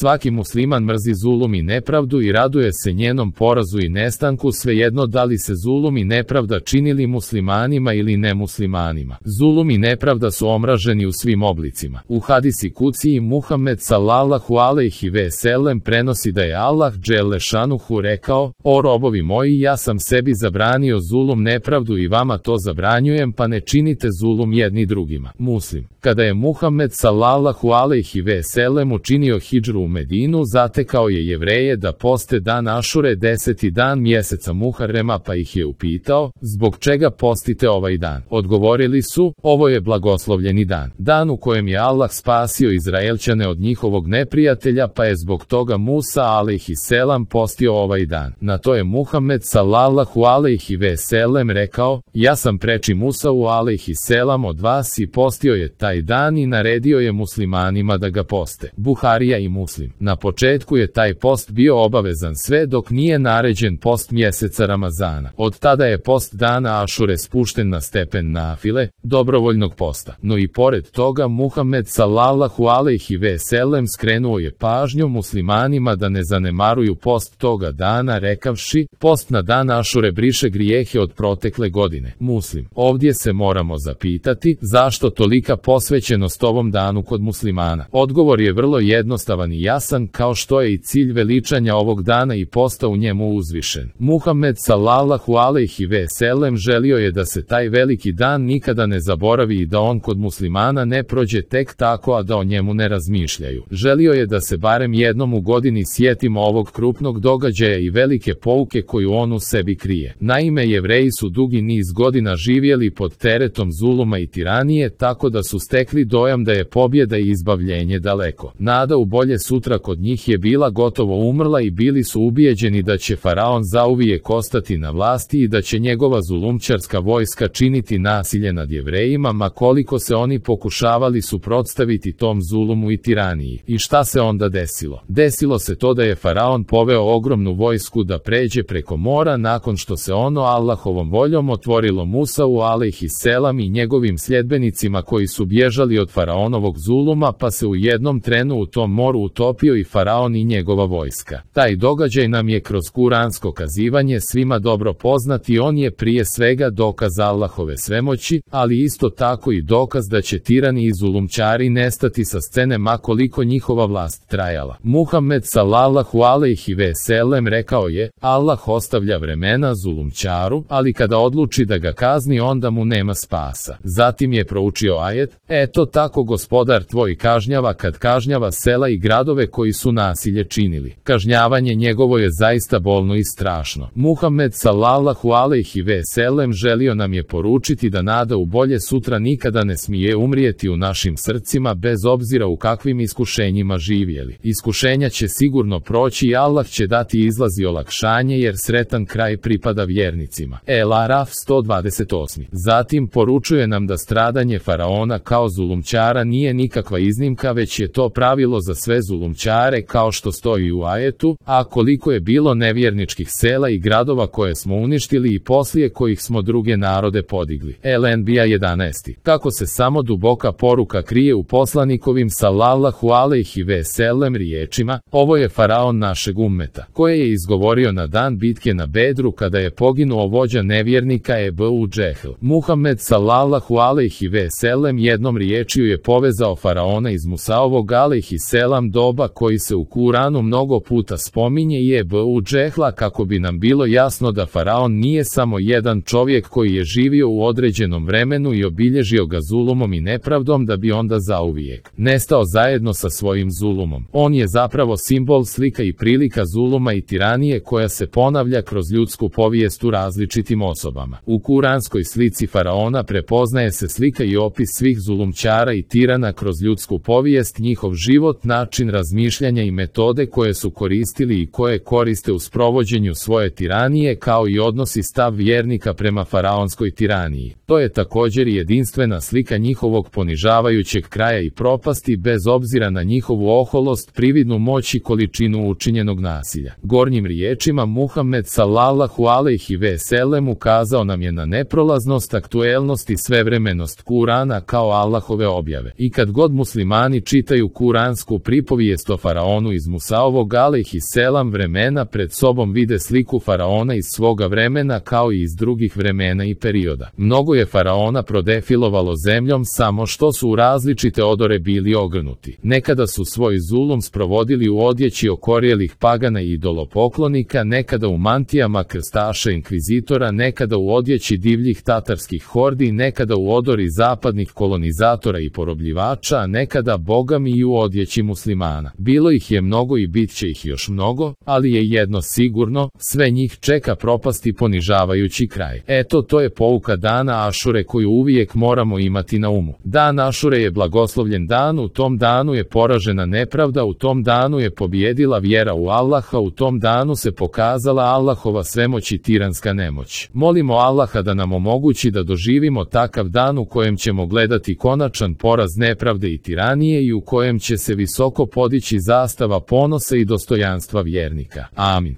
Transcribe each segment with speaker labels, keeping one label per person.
Speaker 1: Svaki musliman mrzi zulum i nepravdu i raduje se njenom porazu i nestanku, svejedno da li se zulum i nepravda činili muslimanima ili nemuslimanima. Zulum i nepravda su omraženi u svim oblicima. U hadisi kuciji Muhammed sallallahu alejhi ve sellem prenosi da je Allah dželle šanuhu rekao: O robovi moji, ja sam sebi zabranio zulum, nepravdu i vama to zabranjujem, pa ne činite zulum jedni drugima. Muslim. Kada je Muhammed sallallahu alejhi ve sellem učinio hidžru u Medinu, zatekao je Jevreje da poste dan Ašure, 10. dan mjeseca Muharrema, pa ih je upitao: zbog čega postite ovaj dan? Odgovorili su: ovo je blagoslovljeni dan, dan u kojem je Allah spasio Izraelčane od njihovog neprijatelja, pa je zbog toga Musa alejhi selam postio ovaj dan. Na to je Muhammed sallallahu alejhi ve sellem rekao: ja sam preči Musau alejhi selam od vas i postio je taj dan i naredio je muslimanima da ga poste. Buharija i Muslim. Na početku je taj post bio obavezan sve dok nije naređen post mjeseca Ramazana. Od tada je post dana Ašure spušten na stepen nafile, dobrovoljnog posta. No i pored toga Muhammed sallallahu alejhi ve sellem skrenuo je pažnju muslimanima da ne zanemaruju post toga dana, rekavši: post na dan Ašure briše grijehe od protekle godine. Muslim. Ovdje se moramo zapitati, zašto tolika posvećenost ovom danu kod muslimana? Odgovor je vrlo jednostavan i jasan, kao što je i cilj veličanja ovog dana i posta u njemu uzvišen. Muhammed sallallahu alejhi ve sellem želio je da se taj veliki dan nikada ne zaboravi i da on kod muslimana ne prođe tek tako, a da o njemu ne razmišljaju. Želio je da se barem jednom u godini sjetimo ovog krupnog događaja i velike pouke koju on u sebi krije. Naime, Jevreji su dugi niz godina živjeli pod teretom zuluma i tiranije, tako da su stekli dojam da je pobjeda i izbavljenje daleko. Nada u bolje sutra kod njih je bila gotovo umrla i bili su ubijeđeni da će faraon zauvijek ostati na vlasti i da će njegova zulumčarska vojska činiti nasilje nad Jevrejima, ma koliko se oni pokušavali suprotstaviti tom zulumu i tiraniji. I šta se onda desilo? Desilo se to da je faraon poveo ogromnu vojsku da pređe preko mora, nakon što se ono Allahovom voljom otvorilo Musau alejhi selam i njegovim sljedbenicima koji su bježali od faraonovog zuluma, pa se u jednom trenu u tom moru utopio i faraon i njegova vojska. Taj događaj nam je kroz kuransko kazivanje svima dobro poznat i on je prije svega dokaz Allahove svemoći, ali isto tako i dokaz da će tirani i zulumčari nestati sa scene ma koliko njihova vlast trajala. Muhammed sallallahu alejhi ve sellem rekao je: Allah ostavlja vremena zulumčaru, ali kada odluči da ga kazni, onda mu nema spasa. Zatim je proučio ajet: eto tako gospodar tvoj kažnjava kad kažnjava sela i gradove koji su nasilje činili. Kažnjavanje njegovo je zaista bolno i strašno. Muhammed sallallahu alejhi ve sellem želio nam je poručiti da nada u bolje sutra nikada ne smije umrijeti u našim srcima, bez obzira u kakvim iskušenjima živjeli. Iskušenja će sigurno proći i Allah će dati izlaz i olakšanje, jer sretan kraj pripada vjernicima. El-Araf 128. Zatim poručuje nam da stradanje faraona kao zulumčara nije nikakva iznimka, već je to pravilo za sve zulumčare, kao što stoji u ajetu: a koliko je bilo nevjerničkih sela i gradova koje smo uništili i poslije kojih smo druge narode podigli. El-Enbija 11. Kako se samo duboka poruka krije u poslanikovim sallallahu alejhi ve sellem riječima: ovo je faraon našeg ummeta, koje je izgovorio na dan bitke na Bedru kada je poginuo vođa nevjernika Ebu Džehl. Muhammed sallallahu alejhi ve sellem jednom riječju je povezao faraona iz Musaovog alejhi selam doba, koji se u Kuranu mnogo puta spominje, i Ebu Džehla, kako bi nam bilo jasno da faraon nije samo jedan čovjek koji je živio u određenom vremenu i obilježio ga zulumom i nepravdom da bi onda zauvijek nestao zajedno sa svojim zulumom. On je zapravo simbol, slika i prilika zuluma i tiranije koja se ponavlja kroz ljudsku povijest u različitim osobama. U kuranskoj slici faraona prepoznaje se slika i opis svih zulumčara i tirana kroz ljudsku povijest, njihov život, način razmišljanja i metode koje su koristili i koje koriste u sprovođenju svoje tiranije, kao i odnosi stav vjernika prema faraonskoj tiraniji. To je također jedinstvena slika njihovog ponižavajućeg kraja i propasti, bez obzira na njihovu oholost, prividnu moć i količinu učinjenog nasilja. Gornjim riječima Muhammed sallallahu alejhi ve sellem ukazao nam je na neprolaznost, aktuelnost i svevremenost Kurana kao Allahove objave. I kad god muslimani čitaju kuransku pripovijest povijest o faraonu iz Musaovog alejhiselam vremena pred sobom vide sliku faraona iz svoga vremena kao i iz drugih vremena i perioda. Mnogo je faraona prodefilovalo zemljom samo što su u različite odore bili ogrnuti. Nekada su svoj zulum sprovodili u odjeći okorjelih pagana i idolopoklonika, nekada u mantijama krstaša inkvizitora, nekada u odjeći divljih tatarskih hordi, nekada u odori zapadnih kolonizatora i porobljivača, a nekada bogami i u odjeći muslimana. Bilo ih je mnogo i bit će ih još mnogo, ali je jedno sigurno, sve njih čeka propast i ponižavajući kraj. Eto, to je pouka dana Ašure koju uvijek moramo imati na umu. Dan Ašure je blagoslovljen dan, u tom danu je poražena nepravda, u tom danu je pobjedila vjera u Allaha, u tom danu se pokazala Allahova svemoć i tiranska nemoć. Molimo Allaha da nam omogući da doživimo takav dan u kojem ćemo gledati konačan poraz nepravde i tiranije i u kojem će se visoko podići zastava ponosa i dostojanstva vjernika. Amin.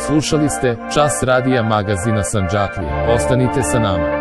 Speaker 1: Slušali ste Čas radija magazina Sandžaklija. Ostanite sa nama.